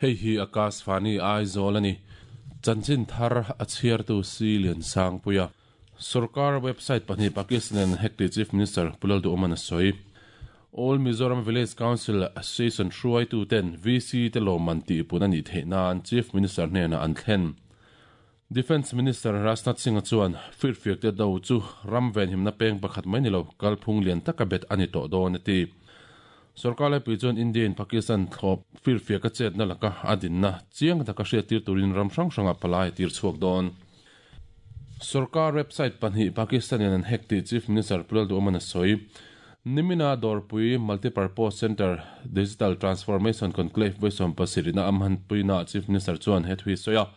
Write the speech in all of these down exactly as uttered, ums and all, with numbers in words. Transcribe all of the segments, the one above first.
Hei hi Akashvani Aizawl ani. Chanchin thar a chhiartu si lian sang puia. Sarkar website pahnih Pakistan an hack ti Chief Minister Pu Lalduhoma a sawi. All Mizoram Village Council Association hruaitu ten V C te lawmman tih pun a nih theih nan Chief Minister hnenah an thlen. Defence Minister Rajnath Singh chuan firfiak te do chu ram venhimna peng pakhat mai ni lo, kalphung lian taka bet ani tawh dawn a ti. Sarkar laipui chuan India in Pakistan thlawp firfiak a chetna laka a dinna chiang taka hriat tir turin ram hrang hranga palai tir chhuak dawn. Sarkar website pahnih Pakistan in an hack ti Chief Minister Pu Lalduhoma a sawi. Nimina Dawrpui Multipurpose Centre Digital Transformation Conclave vawi pasarihna a hmanpuina Chief Minister chuan he thu hi sawi a.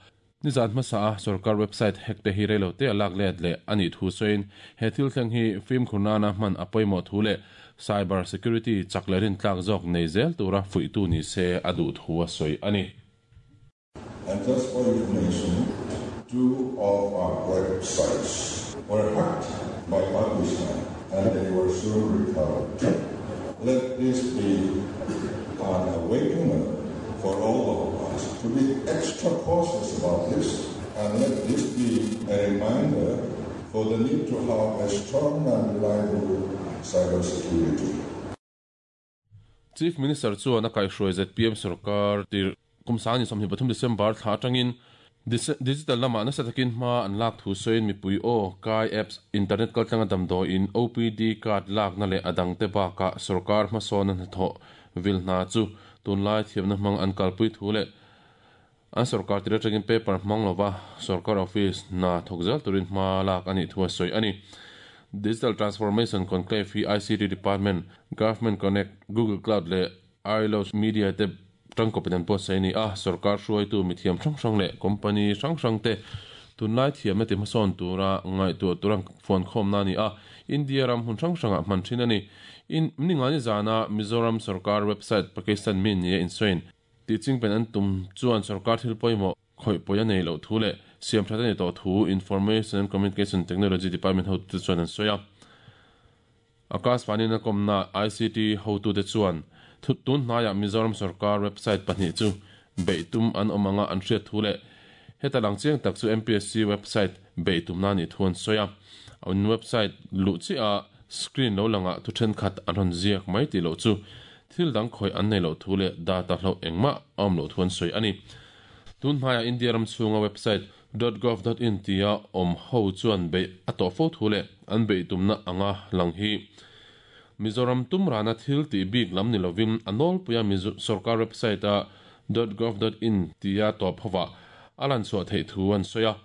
Nizan hmasa a sarkar website hack te hi reilo te a lak let leh ani thu sawiin, he thil thleng hi fimkhur nana hman a pawimawh thu leh cyber security chak leh rin tlak zawk nei zel tura fuihtu ni se a duh thu a sawi ani. And just for information, two of our websites were hacked by Pakistan and they were soon recovered. Let this be an awakener for all of us to be extra cautious about this, and let this be a reminder for the need to have a strong and reliable cybersecurity. Chief Minister chuan a kaihhruai Z P M sarkar tir kum sangni sawmhnih pathum December thla atangin digital lama nasa takin hma an lak thu sawiin, mipui aw kai apps, internet kaltlanga damdawiin O P D card lak na leh adang te baka sarkar hmasawn hnathawh vil hna chu tunlai thiamna hmang an kalpui thu leh an sarkar tir atangin paper hmang lova sarkar office na thawk zel turin hma lak ani thu a sawi ani. Digital Transformation Conclave hi I C T Department, Government Connect, Google Cloud leh Ilos Media te tangkawpin an pawh sawi ani a. Sarkar hruaitu mithiam hrang hrang leh company hrang hrang te tunlai thiamna ti hmasawn tura ngaihtuah turang phone khawm na ani a. India ram hun hrang hrangah hman thin ani. In ningani zana Mizoram sarkar website Pakistan min ni in sawiin ti chingpen an tum chuan sarkar thil pawimawh khawih pawi a nei loh thu leh siam that ani tawh thu Information and Communication Technology Department ho te chuan an sawi a. Akashvani na kawmna I C T hotu te chuan thut tun hnaiah Mizoram sarkar website pahnih chu beihtum an awm anga an hriat thu leh heta lang chiang tak chu M P S C website beihtum na ni thu an sawi a. An website luh chi a screen lo langa thu thenkhat an rawn ziak mai ti lo chu thil dang khawih an nei lo thu leh data hlo engmah a awm lo thu an sawi ani. Tun hnaia India ram chhunga website dot gov dot in tia awm ho chuan bei a tawh fo thu leh an beihtumna anga lang hi Mizoram tumrana thil ti bik lam ni lovin a nawlpuia sarkar website a dot gov dot in tia tawp howa a lan chhuah theih thu an sawi a.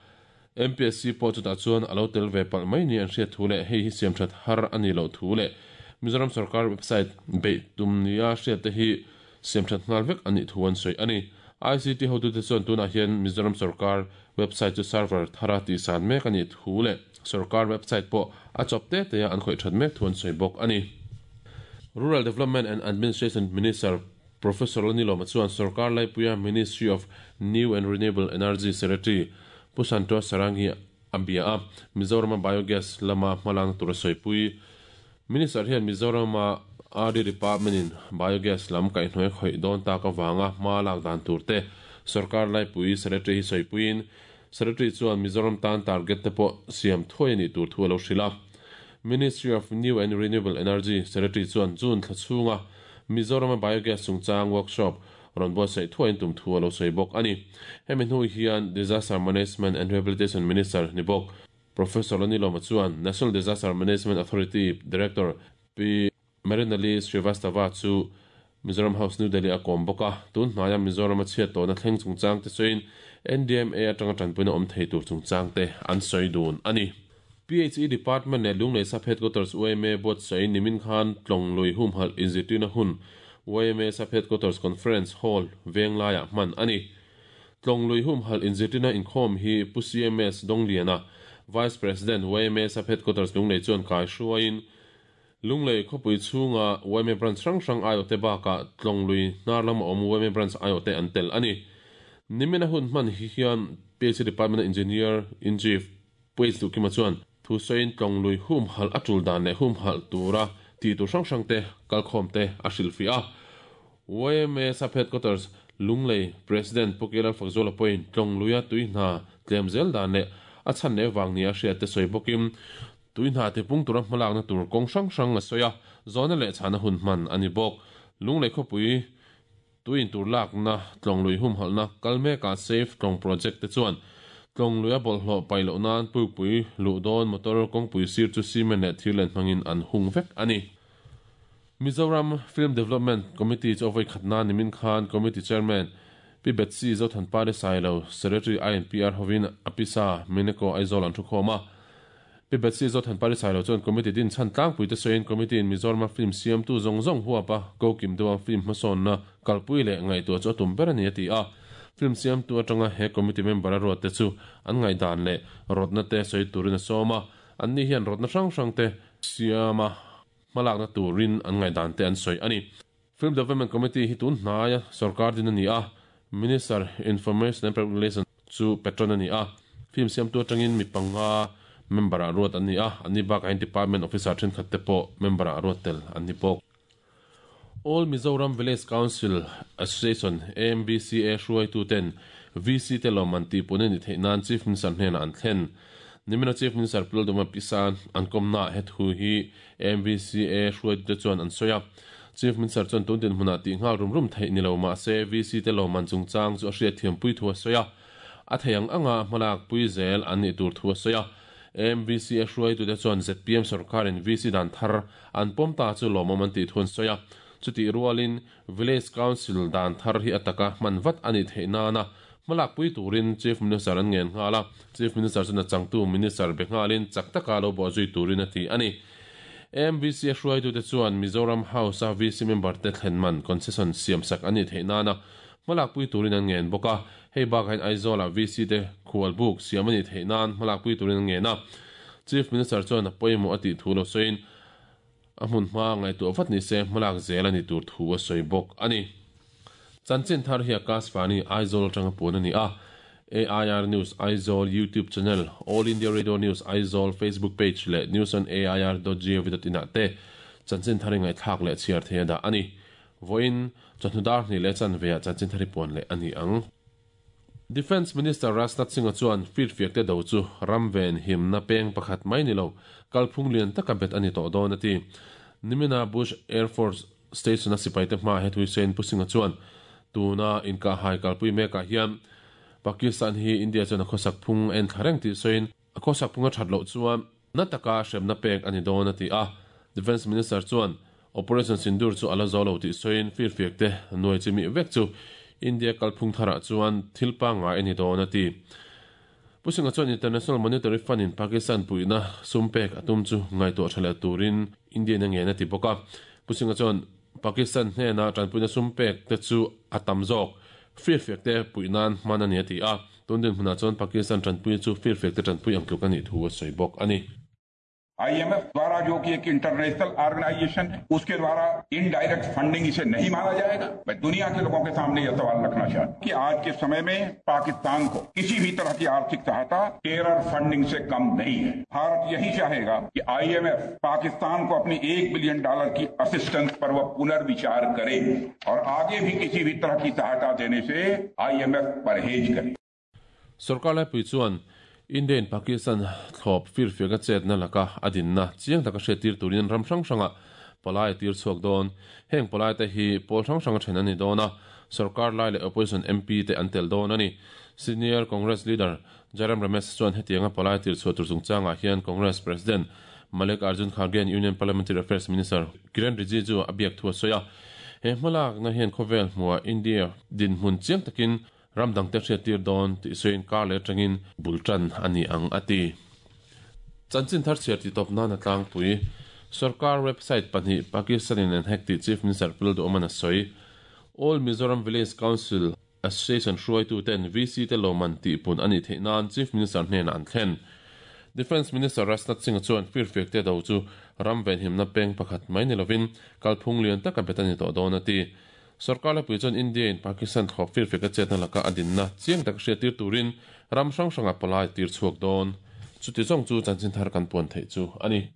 M P S C pawh chutah chuan alo tel ve palh mai ni an hriat thu leh hei hi siam that har ani lo thu leh Mizoram sarkar website beihtum nia hriat te hi siam that nghal vek ani thu an sawi ani. I C T hotu te chuan tunah hian Mizoram sarkar website chu server thara ti san mek ani thu leh sarkar website pawh a chawp te te an khawih that mek thu an sawi bawk ani. Rural Development and Administration Minister Professor Lalnilawma chuan sarkar laipuia Ministry of New and Renewable Energy Secretary Pu Santosh Sarangi a bia a. Mizoram biogas lama hmalang tur sawi. Minister hian Mizoram R D Department in biogas lam kaihhnuai khawih dawn tak awanga hma lak dan tur te sarkar laipui secretary hi sawipuiin, secretary chuan Mizoram tan target te pawh siam thuai ani tur thu alo hrila. Ministry of New and Renewable Energy Secretary chuan June thla chhunga Mizoram biogas chungchang workshop rawn buatsaih thuain tum thu alo sawi bawk ani. Hemi hnu hian Disaster Management and Rehabilitation Minister ni bawk Professor Lalnilawma chuan National Disaster Management Authority Director P Mrinalini Srivastava chu Mizoram House, New Delhi a kawm bawk a. Tun hnaia Mizoram a chhiat tawhna thleng chungchang te sawiin N D M A atanga tanpuina awm thei tur chungchang te an sawi dun ani. P H E Department leh Lunglei Sub Headquarters Y M A buatsaih nimin khan Tlawng Lui humhalh inzirtirna hun Y M A Sub Headquarters Conference Hall Venglaiah hman ani. Tlawng Lui humhalh inzirtirna inkhawm hi Pu C M S Dongliana, Vice President, Y M A Sub Headquarters Lunglei chuan kai hruaiin Lunglei khawpui chhunga Y M A branch hrang hrang aiawh te bakah Tlawng Lui hnar lama awm Y M A branch aiawh te an tel ani. Nimina hun hman hi hian P H E Department Engineer in Chief Pu H Duhkima chuan thu sawiin Tlawng Lui humhalh a tul dan leh humhalh tura ti tur hrang hrang te kalkhawm te a hrilhfiah a. Y M A Sub Headquarters Lunglei President Pukela Fakzola point tlong luya tuihna tlemzel dan le a chan le wang ni a hriat te soi bokim tuihna te pung tura hmalak na tur kong sang sang a soya zona le chana hun man ani bok Lunglei khopui tuin tur lak na tlong lui hum halna kalme ka safe tlong project te chuan tlong luya bol hlo pailo nan pui pui lu don motor kong pui sir chu cement le thilen hmangin an hung vek ani. Mizoram Film Development Committee chu ovoi khatna nimin khan Committee Chairman Pi Betsy Zothan Pare Sailo Secretary I N P R Hovin Apisa Mineko Aizawl an thu khoma Pi Betsy Zothan Pare Sailo chuan committee din chan tlang pui te soin committee in Mizoram film siam tu zong zong huapa ko kim duwa film hmasawn na kalpui le ngai tu chu tum ber ani ati a film siam tu atanga he committee member a ruat te chu an ngai dan le rotna te soi turin a sawma an ni hian rotna hrang hrang te siama malak na turin an ngai dan te an soi ani. Film Development Committee hi tun hnaya sarkar din ani a Minister Information and Public Relations chu patron ani a film siam tu atangin mi panga member a ruat ani a ani bak ain department officer then khat te po member a ruat tel ani pok. All Mizoram Village Council Association A M B C A hruai tu ten V C te loman ti pune ni theinan Chief Minister hnen an thlen nimina Chief Minister Pulduma Pisan an komna het hu hi A M B C A hruai tu te chuan an soya Chief Minister chuan tun din hmuna ti ngal rum rum thei ni lo ma se V C te loman chungchang chu a hriat thiam pui thu a soya a theiang anga hmalak pui zel an ni tur thu a soya A M B C A hruai tu te chuan Z P M sarkarin V C dan thar an pawm ta chu lawmawm an ti thun soya chuti rualin Village Council dan thar hi ataka manvat ani theina na malak pui turin Chief Minister an ngen ngala Chief Minister chuna changtu Minister bengalin chaktaka lo bo zui turin ati ani. A M B C hruai tu te chuan Mizoram House a V C member te thlenman concession siam sak ani theina na malak pui turin an ngen boka hei bak hain Aizawl a V C te khual buk siam ani theinan malak pui turin an ngen a Chief Minister chuan a pawimawh ati thu lo soin a hmun hma ngai tu vat ni se malak zel ani tur thu a soi bok ani. Chanchin thar hi Akashvani Aizawl tanga pun ani a A I R News Aizawl YouTube channel All India Radio News Aizawl Facebook page le news on A I R dot gov dot in te chanchin thar ngai thak le chiar the da ani voin chanhudar ni le chan ve chanchin thari pon le ani ang. Defense Minister Rajnath Singh chuan fit fiak te do chu ramven him na peng pakhat mai ni lo kalphung lian taka bet ani to don ati nimina Bush Air Force Station a sipai te hma he thui sen pusinga chuan tuna inka hai kalpui meka hian Pakistan hi India chuan a khosak phung en thareng ti soin a khosak phunga thatlo chuan na taka hremna pek ani don ati a Defense Minister chuan Operation Sindoor chu ala zolo ti soin fir fiak te nuai chimi vek chu India kalphung thara chuan thilpa nga ani don ati pusinga chuan International Monetary Fund in Pakistan puina sumpek atum chu ngai to thala turin India na nge na ti boka pusinga chuan Pakistan hne na tanpuina sumpek te chu atam zok fir fiak te puinan manani ati a tundin huna chuan Pakistan tanpui chu fir fiak te tanpui ang tluk ani thu a soi bok ani. I M F द्वारा जो कि एक international organisation है उसके द्वारा indirect funding इसे नहीं माना जाएगा। मैं दुनिया के लोगों के सामने यह सवाल रखना चाहता हूं कि आज के समय में पाकिस्तान को किसी भी तरह की आर्थिक सहायता टेरर फंडिंग से कम नहीं है। भारत यही चाहेगा कि I am F Pakistan को अपनी एक बिलियन डॉलर की असिस्टेंस पर वह पुनर्विचार करे और आगे भी किसी भी तरह की सहायता देने से I am F परहेज करे। सरकार India in Pakistan thlop fir fiaka chet na laka adin na chiang taka hre tir turin ram hrang hranga palai tir chhuak dawn heng palai te hi pawl hrang hranga then ani dawn a sarkar lai le opposition M P te an tel dawn ani Senior Congress leader Jairam Ramesh chuan hetianga palai tir chhuah tur chungchanga hian Congress President Malik Arjun Kharge Union Parliamentary Affairs Minister Kiran Rijiju abiak thua soya he hmalak na hian khovel hmua India din hmun chiang takin ramdang te hriat tir dawn ti soin kar le tangin bultan ani ang ati chanchin thar chiar ti top na na tlang pui sarkar website pani Pakistan in hack ti Chief Minister Puldo Omana soi All Mizoram Village Council Association hruai tu ten V C te loman ti pun ani theinan Chief Minister hnen an thlen Defense Minister Rajnath Singh chuan fir fiak te do chu ramven himna peng pakhat mai ni lovin kalphung lian taka betani to dawn ati sarkar la pui chuan India in Pakistan thlop fir fiak a chetna laka adin na chiang tak hriat tir turin ram hrang hranga palai tir chhuak dawn chuti zawng chu chanchin thar kan puan thei chu ani.